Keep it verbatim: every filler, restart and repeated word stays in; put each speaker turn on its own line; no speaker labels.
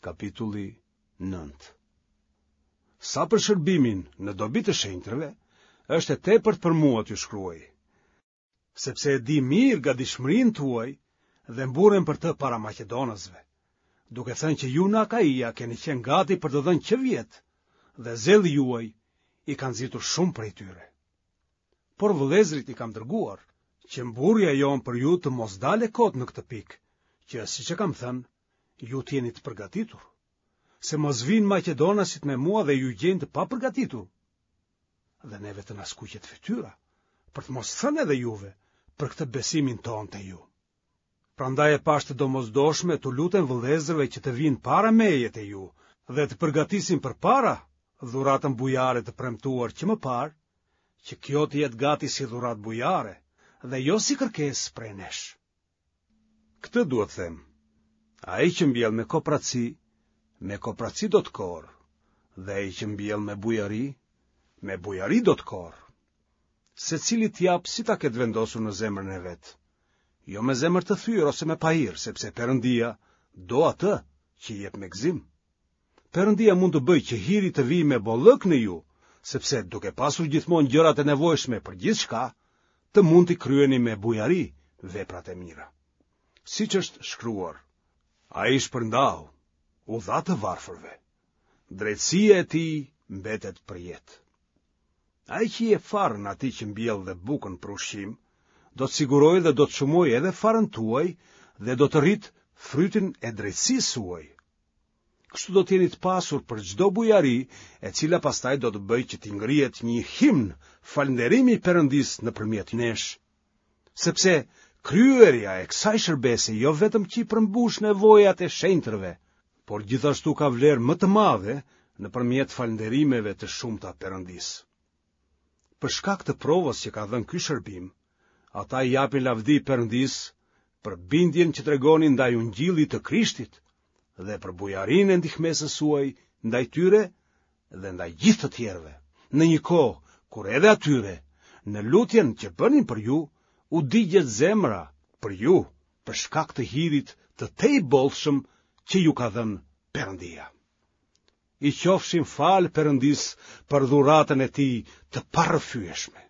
kapitulli nëntë. Sa për shërbimin në dobi të shenjtërve, është e tepërt për mua t'ju shkruaj, sepse e di mirë gatishmërinë tuaj dhe mburrem për të para maqedonasve, duke thënë që ju në Akaia keni qenë gati për të dhënë që vjet dhe zelli juaj i ka nxitur shumë prej tyre. Por vëllezërit i kam dërguar, që mburrja jonë për ju të mos dalë kot në këtë pikë, që siç e kam thënë, ju të jeni të përgatitur. Se mos vijnë maqedonasit me mua dhe ju gjejnë të papërgatitur. Dhe neve të na skuqet fytyra, për të mos thënë edhe juve, për këtë besimin tonë te ju. Prandaj e pashë të domosdoshme t'u lutem vëllezërve që të vijnë para meje te ju dhe të përgatisin përpara dhuratën bujare të premtuar që më parë, që kjo të jetë gati si dhuratë bujare dhe jo si kërkesë prej nesh. Këtë dua të them. Ai që mbjell me kopraci, me kopraci do të korrë, dhe ai që mbjell me bujari, me bujari do të korrë. Secili të japë si ta ketë vendosur në zemrën e vet, jo me zemër të thyer ose me pahir, sepse Perëndia do atë që jep me gëzim. Perëndia mund të bëjë që hiri të vijë me bollëk në ju, sepse duke pasur gjithmonë gjërat e nevojshme për gjithçka, të mund t'i kryeni me bujari veprat e mira. Siç është shkruar, ai shpërndau, u dha të varfërve. Drejtësia e tij mbetet përjetë. Ai që i jep farën atij që mbjell dhe bukën për ushqim, do të sigurojë dhe do të shumojë edhe farën tuaj dhe do të rritë frytin e drejtësisë suaj. Kështu do të jeni të pasur për çdo bujari, e cila pastaj do të bëjë që t'i ngrihet një himn falënderimi Perëndisë nëpërmjet nesh. Sepse kryerja e kësaj shërbese jo vetëm që i përmbush nevojat e shenjtërve, por gjithashtu ka vlerë më të madhe nëpërmjet falënderimeve të shumta Perëndisë. Për shkak të provës që ka dhënë ky shërbim, ata i japin lavdi Perëndisë për bindjen që tregoni ndaj ungjillit të Krishtit dhe për bujarinë e ndihmesës suaj ndaj tyre dhe ndaj gjithë të tjerëve, në një kohë kur edhe atyre, në lutjen që bënin për ju, u digjet zemra për ju, për shkak të hirit të tejbollshëm që ju ka dhënë Perëndia. I qofshim falë Perëndisë për dhuratën e tij të parrëfyeshme.